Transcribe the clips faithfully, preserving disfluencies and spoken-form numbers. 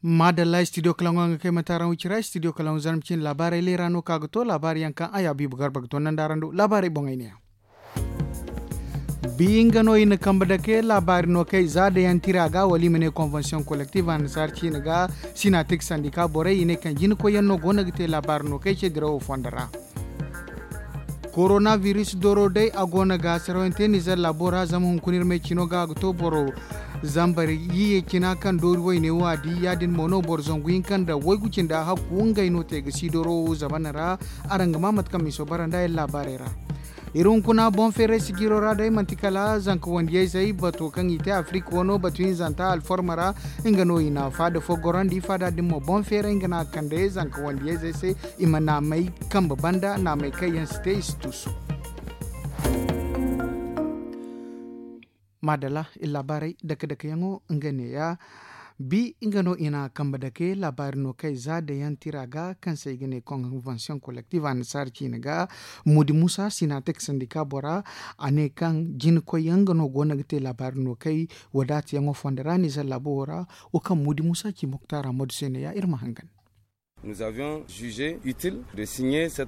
Maadalla studio kalaŋo nga kay mataaraŋ wicira studio kalaŋo zarma cine laabaarey leera no ka ga to laabaari yaŋ kaŋ a ya biibu garba ga to nanda araŋ do laabaarey boŋey ne ya. Bi nga no i na kambe dake laabaari no kay za da yaŋ tira ga wala i ma ne konvensiyoŋ kolektif annasaara ciine ga sinatik sandika borey i ne kaŋ jina koyyaŋ no go no ga te laabaari no kay ce dirawo fondo ra. Koronabiris doro day a go no ga sarayaŋ te nizer laabo ra zama hunkuna iri may cino ga a ga to boro zambar yiye cina kaŋ doori wayne wo a di ya- din mo no boro zangu hinka nda waygu cindi a hakku ngey no te ga si doro wo zamana ra. Araŋ ga ma mate kaŋ miso bara nda iri laabaarey ra. Iri hunkuna boŋ feeray sijiiro ra day manti kala zanka wandiyayzey bato kaŋ i te afirik wano batu hinzanta alforma ra. Nga no i na faada fo gorandi faada din mo boŋ feeray nga no a kande zanka wandiyayzey se i ma naamey kambe banda naamey kaŋ yaŋ si te i si tuusu. Maadala iri laabaarey dake dake yaŋo nga neeya. Bi nga no i na kambe dake laabaari no kay za da yaŋ tira ga kaŋ se i ga ne konvensiyoŋ kolektif annasaara ciine ga. Mudi musa sinatek sandika bora a ne kaŋ jina koy yaŋ nga no go no ga te laabaari no kay wadaata yaŋo fondo ra nizer laabo wo ra. Wo kaŋ mudi musa ci moktaara madu se neeya iri ma hangan.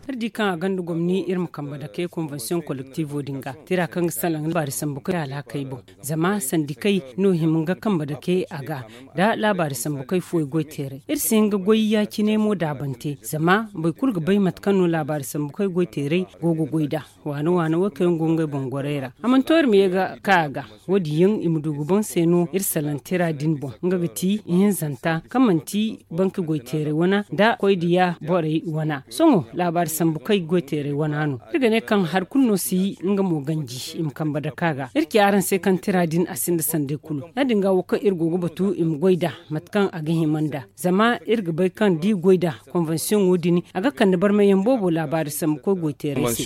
Iri di kaŋ a gonda gomni iri ma kambe dake konvensiyoŋ kolektivo din ga tira kaŋ ga salaŋ laabaari sambu kay alhakey boŋ. Zama sandikey no hima ga kambe dake a ga da laabaari sambu kay fuwey goy teeray iri si hin ga goy ya- cine mo daabante zama boro kulu ga bay mate kaŋ no laabaari sambu kay goy teeray go ga goy nd'a. Waana waana wo kaŋ yaŋ go ngey boŋ gorey ra a mana to iri ma ye ga ka a ga. Wo- din yaŋ i ma du ga boŋ se no iri salaŋ tira din boŋ nga ga ti ihinzanta kaŋ manti banki goy teeray wana nda koy diya borey wana sohõ laabaari sambu kay goy teeray wana no. Iri ga ne kaŋ hari kulu no si nga mo ganji i ma kambe dake a ga iri ci araŋ se kaŋ tira din a sinda sanday kulu ya- din ga wo kaŋ iri go ga batu i ma goy nd'a mate kaŋ a ga hima nd'a. Zama iri ga bay kaŋ da i goy nd'a konvensiyoŋo din a ga kande barmayyaŋ boobo laabaari sambu koy goy teeray se.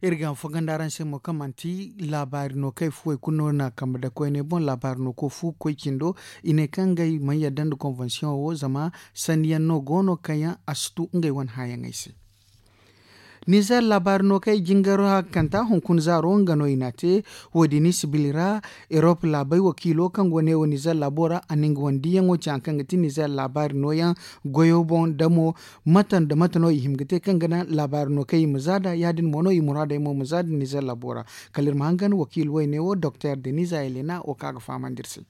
Iri ga a fo ganda araŋ se mo kaŋ manti laabaari no kay fuwey kulu no na kambe da koyne boŋ laabaari no koy fu ga koy cindo. I ne kaŋ ngey mana yadda nda konvensiyoŋo wo zama sanniyaŋ no go no kaŋ yaŋ a si tu ngey wane hããyaŋey se. Nizer laabaari no kay jingaro haakanta hunkuna zaaro nga no i n'a te. Wo- din i si bili ra erop laabey wakiilo kaŋ go ne wo nizer laabo ra a na nga wane diiyaŋo ci hari kaŋ ga ti nizer laabaari nooyaŋ goyo boŋ damo. Mate nda mate no i hima ga te kaŋ ga naŋ laabaari no kay i ma za nd'a ya- din mo no i muraadey mo ma za nd'a nizer laabo ra. Kala iri ma hangan wakiilo wayne wo doktor deniza elena wo kaŋ a ga fahamandi iri se.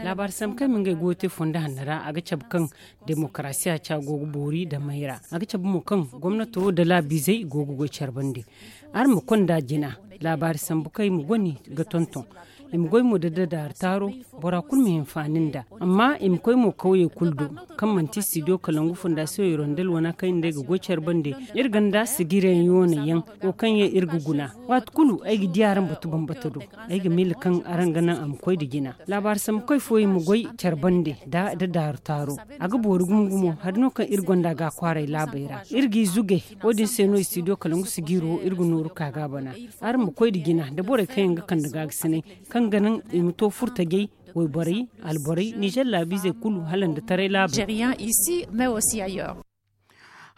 Laabaari sambu kaŋ i ma ngey goyo te fondo hanno ra a ga cabe kaŋ demokarasiya ca go ga boori damey ra. A ga cabe mo kaŋ gomnato nda laabiizey go ga goy care bande. Araŋ ma konda jina laabaari sambu kaŋ i ma goni ga tonton. I ma goy mo nda dadaaru taaro. Bora kulu ma hinfaani nd'a amma i ma koy mo kawyey kulu do kaŋ manti studio kalangu fondasiyoŋ hirondel wana kaŋ i nda ay ga goy care bande. Iri ganda sigiryaŋ yooney yaŋ wo kaŋ yaŋ iri ga guna. Waati kulu ay ga di araŋ batu bambata do. Ay ga miila kaŋ araŋ ga naŋ a ma koy nda jina. Laabaari sambu koy fooyaŋ ma goy care bande nda dadaaru taaro. A ga boori gumo gumo hari no kaŋ iri gonda ga a kwaaray laabey ra iri g'i zuge. Wo- din se no studio kalangu sigiiro iri ga nooru ka ga a bana. Araŋ ma koy nda jina nda borey kaŋ yaŋ ga kande gaagasinay kaŋ ga naŋ i ma to furtajey, wayborey, alborey nizer laabiizey kulu hala nda taray laabey.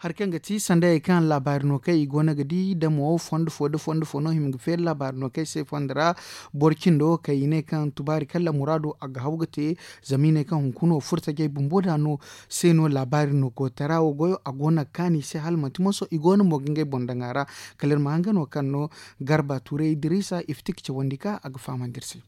Hari kaŋ ga ti sandayey kaŋ laabaari no kaŋ i go no ga di damo fondo fo nda fondo fo no hima ga feeri laabaari no kaŋ ay se fondo ra. Boro cindo kaŋ i ne kaŋ tubaari kaŋ lammuraado a ga haw ga te. Zama i ne kaŋ hunkuna wo furtajey bumbo da no se no laabaari no koytara wo goyo a go no ga kaanu i se hala manti moso i go no mo ga ngey boŋ daŋ a ra. Kala iri ma hangan wo kaŋ no garba tuuray idiriisa iftik cawandi ka a ga fahamandi iri se.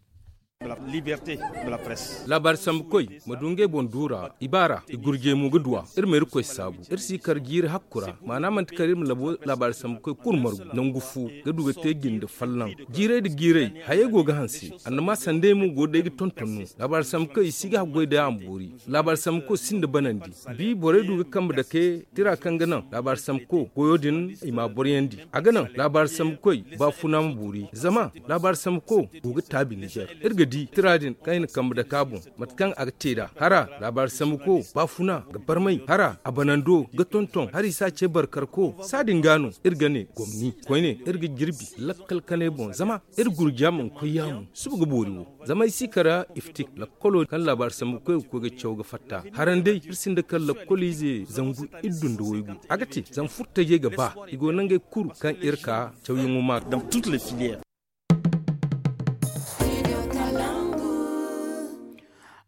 Laabaari sambu koy ma du ngey boŋ duura i baara i gurjey mo ga duw'a. Iri ma iri koy saabu iri si kar jiiri hakku ra maana manti kar iri ma labo laabaari sambu koy kulu margu nangu fu ga du ga te jinde folloŋ. Jiirey nda jiirey hayey go ga hanse annama sandey mo go day ga tonton no. Laabaari sambu koy i si ga haggoy day a ma boori. Laabaari sambu koy sinda banandi. Bi borey du ga kambe dake tira kaŋ ga naŋ laabaari sambu koy goyo din i ma a boroyandi. A ga naŋ laabaari sambu koy baafuna ma boori zama laabaari sambu koy go ga taabi nizer. Iri ga di tira din kaŋ i na kambe dake a boŋ mate kaŋ a ga te nd'a hara laabaari sambu koy baafuna ga barmay hara a banando ga tonton hari i si a ce barkar koy saadin ga no iri ga ne gomni koyne iri ga jirbi lakkal kanay boŋ zama iri gurja mana koy yaamu suba ga boori wo. Zama ay si kara iftik lakkolo kaŋ laabaari sambu koy ga koy ga caw ga fatta haran day iri sinda kala lakkoliize zangu iddu nda waygu a ga te zama furtajey ga ba i go nangey kulu kaŋ iri ka cawyaŋo ma ga. Dans toutes les filières.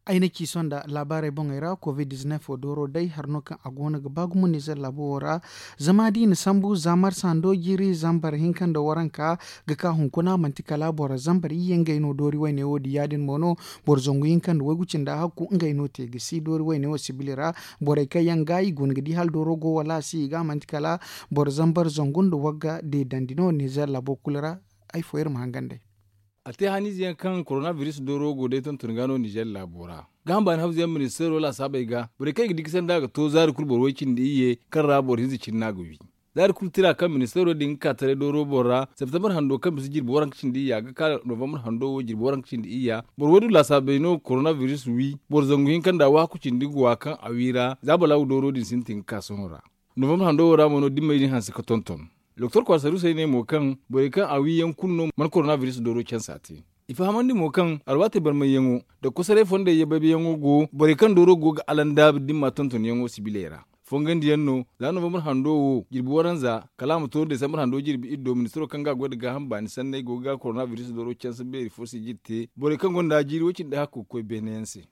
Ay na ci sohõ nda laabaarey boŋey ra covid dizinef wo dooro day hari no kaŋ a go no ga ba gumo nizer laabo wo ra. Zama da i na sambu za marsa hando jiiri zambar hinka nda waranka ga ka hunkuna manti kala boro zambar iyye ngey no doori wayne wo di ya- din mo no. Boro zangu hinka nda waygu cindi hakku ngey no te ga si doori wayne wo sibili ra. Borey kaŋ yaŋ ga i go no ga di hala dooro go wala a si i ga manti kala boro zambar zangu nda wagga deedandi no nizer laabo kulu ra. Ay fo iri ma hangan day. A te haniize yaŋ kaŋ korona biris dooro go day tonton ga no nizer laabo ra. Gaaham baani hawzu yaŋ ministeero laasaabey ga borey kaŋ i ga di ga sanda ga to zaari kulu boro way cindi iyye kaŋ ra boro hinza cindi no a ga wi. Zaari kulu tira kaŋ ministeero din ga ka taray dooro boŋ ra septembar hando kaŋ bisa jirbi waranka cindi iyya ga ka novembar hando wo jirbi waranka cindi iyya boro way du laasaabey no korona biris wi. Boro zangu hinka nda waaku cindi ga wa kaŋ a wi ra za balaagu dooro din sintin ga ka sohõ ra. Novembar hando wo ra mo no dimmey din hanse ga tonton. Doktor kwaara saruusey ne mo kaŋ borey kaŋ a wi yaŋ kulu no mana korona biris dooro cansa te. I fahamandi mo kaŋ alwaatey barmayyaŋo nda kosoray fondey yabbaybayyaŋo go borey kaŋ dooro go ga alandaabu dimma tontonyaŋo sibiley ra. Fongandiyaŋ no za novembar hando wo jirbi waranza kala a ma to desambar hando jirbi iddo ministiro kaŋ ga a goy nda gaaham baani sanney go ga korona biris dooro cansa beeri fo sijir te borey kaŋ gonda jiiri way- cindi hakku ga koy beene yaŋ se.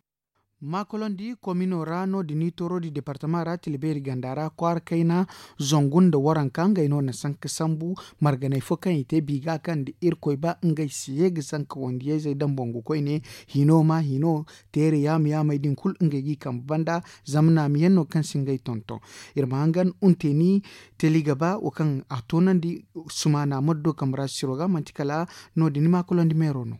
Maakolandi komino ra no- din i tooro di departama ra tila beeri ganda ra kwaara kayna zangu nda waranka ngey no na sanka sambu. Marganey fo kaŋ i te biiga kaŋ da irkoy ba ngey si ye ga sanka wandiyayzey daŋ bangu koyne. Hino ma hino teere yaama yaamey din kulu ngey g'i kambe banda. Zama naamiyaŋ no kaŋ si ngey tonton. Iri ma hangan unte ni teli ga ba wo kaŋ a toonandi sumaana maddo kambe ra siro ga manti kala no- din maakolandi meero no.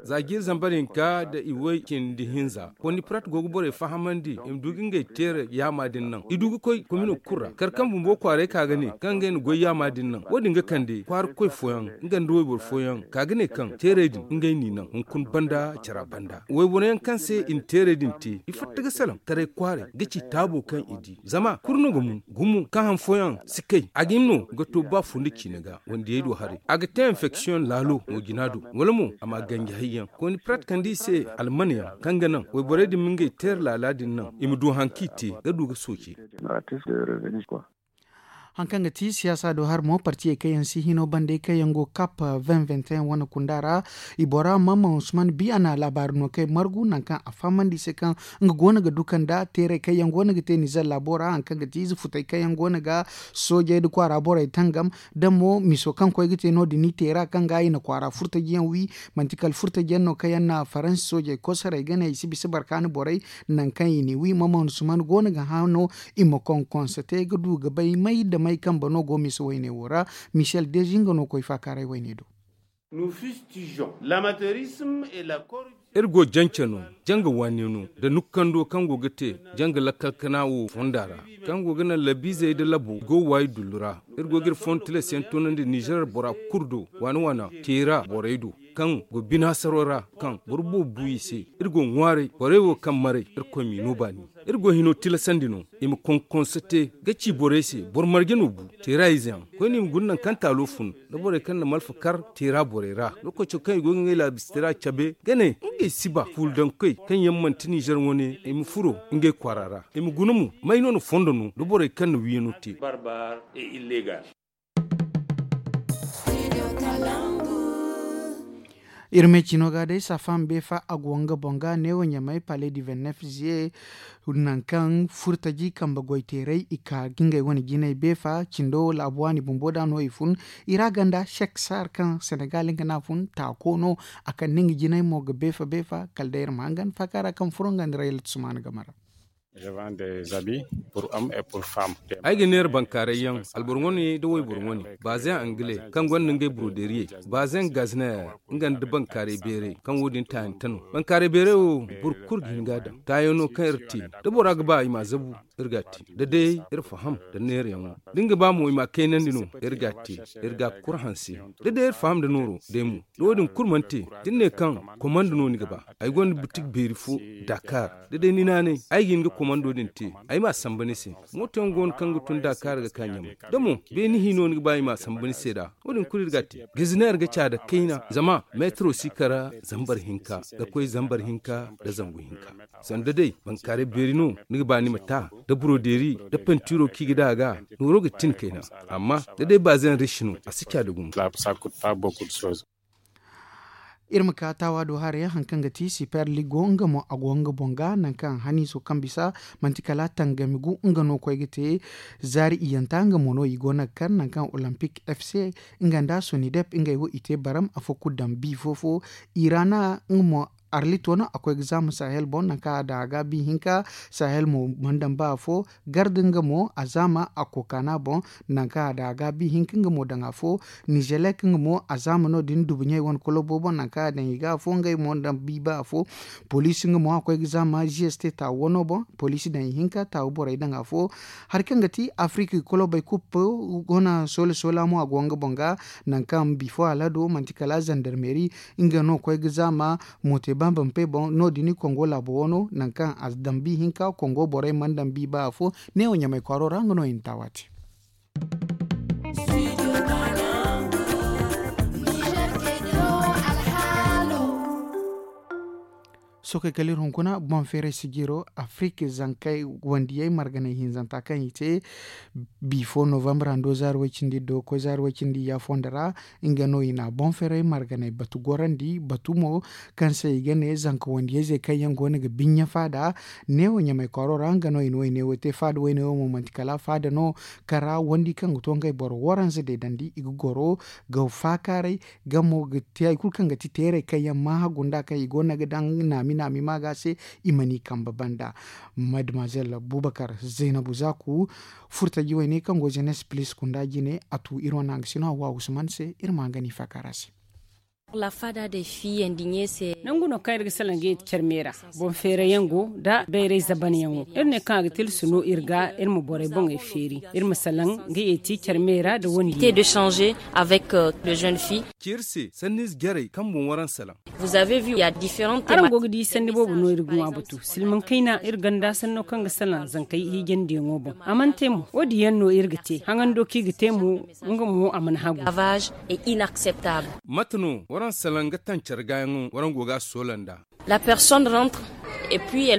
Za jiiri zambar hinka nda i way cindi hinza kondipirat go ga borey fahamandi i ma du ga ngey teere yaama din naŋ i du ga koy komino kulu ra kar kaŋ bumbo kwaaray ka ga ne kaŋ ngey na goy yaama din naŋ wo- din ga kande kwaara koy fooyaŋ nga nda wayboro fooyaŋ ka ga ne kaŋ teerey din ngey n'i naŋ hunkuna banda cara banda wayboro yaŋ kaŋ se i na teerey din te i fatta ga salaŋ taray kwaaray ga ci taabo kaŋ i di zama kulu no ga mun gumo kaŋ han fooyaŋ si kay a ga hima no ga to ba fo nda ciine ga wandiyey do haray a ga te enfeksiyoŋ laalo mo jina do wala mo a ma ganji hayyaŋ kooni pirat kande i se almane yaŋ kaŋ ga naŋ wayborey din ma ngey teera laala din naŋ i ma du haŋ kaŋ i te ga du ga sooce. Haŋ kaŋ ga ti siyaasa do hari mo partiyey kaŋ yaŋ si hino bande kaŋ yaŋ go kap vingt vingt et un wane kunda ra. I bora mamman usman bi a na laabaari no kay margu nangu kaŋ a fahamandi i se kaŋ nga go no ga du kanda teeray kaŋ yaŋ go no ga te nizer laabo ra haŋ kaŋ ga ti ize futey kaŋ yaŋ go no ga soojey nda kwaara borey tangam. Da mo miso kaŋ koy ga te no- din i teera kaŋ ga i na kwaara furtajiyaŋ wi manti kala furtajiyaŋ no kaŋ yaŋ na faransi soojey kosoray ga ne i si bisa barkaani borey. Nangu kaŋ i n'i wi mamman usman go no ga hã no i ma konkonsa te ga du ga bay may nda may kambe no go misa wayne wo ra. Michel dezi nga no koy faakaaray wayne do. Iri go jance no janga waani no nda nukkando kaŋ go ga te janga lakkal kana wo fonda ra kaŋ go ga naŋ labiizey nda labo i go waayi dullu ra. Iri go ga iri fondo tilas yaŋ toonandi nizeer bora kulu do waana waana teera borey do kaŋ go binaasaro ra kaŋ boro boobo bu i se. Iri go ŋwaaray borey wo kaŋ maray irkoy m'i no baani. Iri go hino tilasandi no i ma konkonsa te ga ci borey se boro marje no bu teera ize yaŋ koyne i ma guna nangu kaŋ taalo fun nda borey kaŋ na malfa kar teera borey ra. Lookaco kaŋ i go ga ngey laabisitira cabe ga ne ngey si ba fuuldaŋkoy kaŋ yaŋ manti nizer wane i ma furo ngey kwaara ra i ma guna mo may no na fondo no nda borey kaŋ na wiiyano te. Iri me cino ga day safam beefa a go nga boŋ ga neewo ɲamay pale di vingt-neuf ziye. Nangu kaŋ furtaji kambe goyteeray i ka ga ngey wane jinay beefa cindo laabu waani bumbo da no i fun. I ra ganda sek saar kaŋ senegal nga no a fun taako no a kande nga jinay mo ga beefa beefa kala day iri ma hangan faaka ra kaŋ furo nga nda rayla tusumana game ra. Ay ga neera bankaaray yaŋ alboro wane nda wayboro wane baaze angle kaŋ gonda ngey buroderiyey baaze gazner nga nda bankaaray beeray kaŋ wo- din taayante no. Bankaaray beeray wo boro kulu ga hin ga a daŋ taayaŋ no kaŋ iri te da bora ga ba i m'a zabu iri ga a te da day iri faham nda neerayaŋo da ni ga ba mo i m'a kaynandi no iri ga a te. Iri ga a kuru hanse da day iri faham nda nooro day mo da wo- din kulu mana te da ni ne kaŋ komando no ni ga ba ay gonda butik beeri fo dakar da day ni naanay ay ga hin ga komando din te ay m'a samba ni se. Mooto yaŋ go no kaŋ ga tun dakar ga ka ɲamay da mo beeni hino ni ga ba i m'a samba ni se da wo- din kulu iri ga a te. Gaziner ga ca da kayna zama meetiro si kara zambar hinka ga koy zambar hinka nda zangu hinka. Sanda day bankaaray beeri no ni ga ba ni ma ta da burodeeri nda pentiiro kaŋ i ga daŋ a ga nooro ga tin kayna. Amma da day baazeyaŋ rishi no a si ca da gumo. Iri ma ka taawa do haray, hari kaŋ ga ti super ligo nga mo a go nga boŋ ga, nangu kaŋ haniiso kaŋ bisa manti kala tangami gu nga no koy ga te. Zaari iyanta nga mo no i go no ga kar nangu kaŋ olympic f c nga nda sonidep ngey wo i te baram afo kulu daŋ bi fo-fo. Irana nga mo arlito no a koy ga zaama sahel boŋ nangu kaŋ a daŋ a ga bi hinka. Sahel mo mana daŋ ba afo. Garda nga mo a zaama a kookana boŋ, nangu kaŋ a daŋ a ga bi hinka nga mo daŋ afo. Nizelek nga mo a zaama no- din dubuɲey wane kolobo boŋ nangu kaŋ a daŋ i ga afo ngey mo daŋ bi ba afo. Poliisi nga mo a koy ga zaama g s t taawu wano boŋ. Poliisi daŋ i hinka taawu borey daŋ afo. Hari kaŋ ga ti afirika i kolobey kup go na soola soola mo a go nga boŋ ga. Nangu kaŋ bifo alado manti kala zandarmeri nga no koy ga zaama mootey bambampe boŋ no- din i kongo laabo wano nangu kaŋ a daŋ bi hinka kongo borey mana daŋ bi ba afo. Neewo ɲamay kwaaro ra nga no i na taawa te. Sookey kala iri hunkuna boŋ feeray sijiro afirika zankey wandiyey marganey hinzanta kaŋ i te. Bifo novambar hando zaari way cindi do koy zaari way cindi ya fondo ra. Nga no i na boŋ feeray marganey batu gorandi batu mo kaŋ se i ga ne zanka wandiyey zey kaŋ yaŋ go no ga biɲɲa faada. Neewo ɲamay kwaaro ra nga no i na wayne wo te faada wayne wo mo manti kala faada no kaŋ ra wandi kaŋ ga to ngey boro waranza deedandi i ga goro ga faakaaray. Gamo ga te hari kulu kaŋ ga ti teeray kaŋ yaŋ maaha gunda kaŋ i go no ga daŋ naami naami maaga se. I mana i kambe banda. Mademazel bubakar zaynabu zaaku furtaji wayne kaŋ go zenes pilis kunda jine a tu iri wane hangasino hawa usman se iri ma nga no i faakaara se. Nangu no kaŋ iri ga salaŋ ga yeeti care me ra boŋ feeray yaŋ go nda bayray zaban yaŋo iri ne kaŋ a ga tilsu no iri ga iri ma borey boŋey feeri iri ma salaŋ ga yeeti care me ra nda wandi. Te de changer avec le jeune fille. Ci iri se sanniize jarey kaŋ boŋ waraŋ salaŋ. Araŋ go ga di sanni boobo no iri ga ŋwa batu silmaŋ kayna iri ganda sanno kaŋ ga salaŋ zankey hiijandiyaŋo boŋ a mana te mo wo- din yaŋ no iri ga te haŋando kaŋ i ga te mo. Nga mo a mana hagu. Mate no waraŋ salaŋ ga taŋ care gaayaŋo waraŋ go ga a soola nd'a?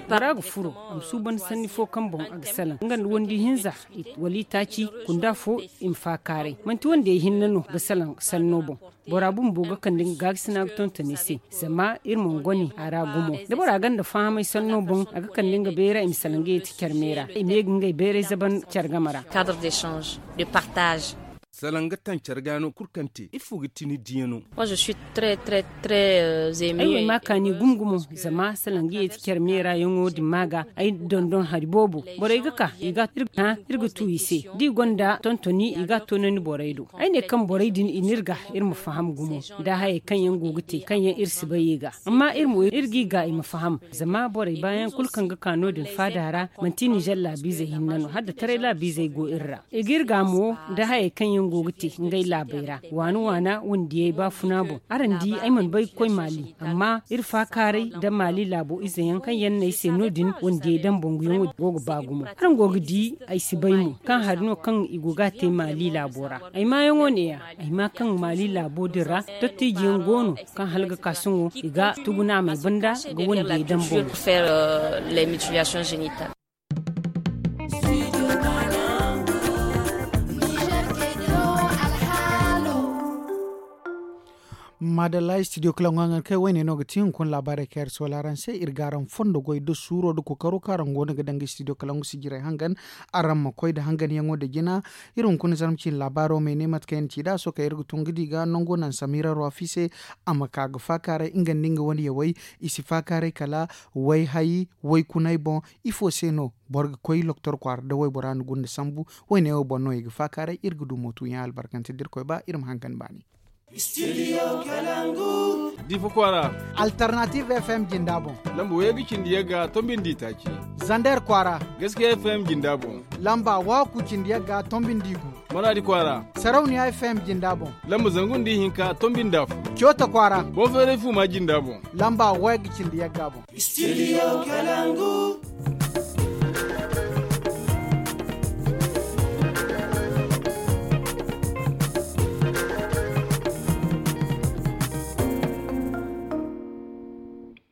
Bora ga furo a ma suuban sanni fo kaŋ boŋ a ga salaŋ nga nda wandi hinza wala itaaci kunda fo. I ma faakaaray manti wandiyey hinne no ga salaŋ sanno boŋ. Bora bumbo ga kande nga gaakasina ga tonton i se zama iri mana gone a ra gumo da bora gonda fahamay sanno boŋ a ga kande nga bayra i ma salaŋ ga yeeti care me ra i ma ye ga ngey bayray zaban care game ra. Salaŋ ga taŋ care ga no kulu kaŋ te ifo ga ti ni diya no? Ay wo ay ma kaani gumo gumo zama salaŋ ga yeeti care me ra yaŋo din ma ga ay dondon hari boobo borey ga ka iri ga tu i se da i gonda tontoni i ga a toonandi borey do. Ay ne kaŋ borey din i n'iri ga iri ma faham gumo nda hayey kaŋ yaŋ go ga te kaŋ yaŋ iri si bay i ga amma iri mo iri g'i ga i ma faham. Zama borey baayaŋ kulu kaŋ ga ka no- din faada ra manti nizer laabiizey hinne no hala da taray laabiizey go iri ra i g'iri ga mo nda hayey kaŋ yaŋ go ga te ngey laabey ra waana waana wandiyey baafuna boŋ. Araŋ di ay mana bay ga koy maali amma iri faakaaray nda maali laabo ize yaŋ kaŋ yaŋ no ay se no- din wandiyey daŋ boŋ yaŋo go ga ba gumo araŋ go ga di. Ay si bay mo kaŋ hari no kaŋ i go ga a te maali laabo ra. Ay maayaŋo neeya ay ma kaŋ maali laabo din ra dottiijiyaŋ go no kaŋ hala ga ka sohõ i ga tugunaamey banda ga wandiyey daŋ boŋ. Maadalla studio kala ŋwa ŋan kay wayne no ga ti hunkuna laabaarey kaŋ iri soola araŋ se iri ga araŋ fondo goy da suuro da kookaro kaŋ araŋ go no ga daŋ ga studio kala ŋwa sijirey hangan. Araŋ ma koy nda hanganyaŋo nda jina. Iri hunkuna zarma ciine laabaaro ma ay ne mate kaŋ yaŋ ci nd'a sohõ kaŋ iri ga tun ga di ga nango naŋ samira ruwafi se. A ma ka ga faakaaray nga nda nga wane yawey i si faakaaray kala wayhay waykunay boŋ. Ifo se no boro ga koy loktor kwaara da waybora na gunda sambu? Wayne wo boŋ no i ga faakaaray iri ga du mootuyaŋ albarkante da irkoy ba iri ma hangan baani. Studio kalangu. Difa kwaara. Alternative f m jinda boŋ. Lamba wayye ga cindi yagga tombindi taaci. Zander kwaara. Gaskiya f m jinda boŋ. Lamba waku cindi yagga tombindi gu. Maradi kwaara. Sarauniya f m jinda boŋ. Lamba zangu nda ihinka tombindi afo. Coota kwaara. Bonfeeray fuuma jinda boŋ. Lamba wayye ga cindi yagga boŋ. Studio kalangu.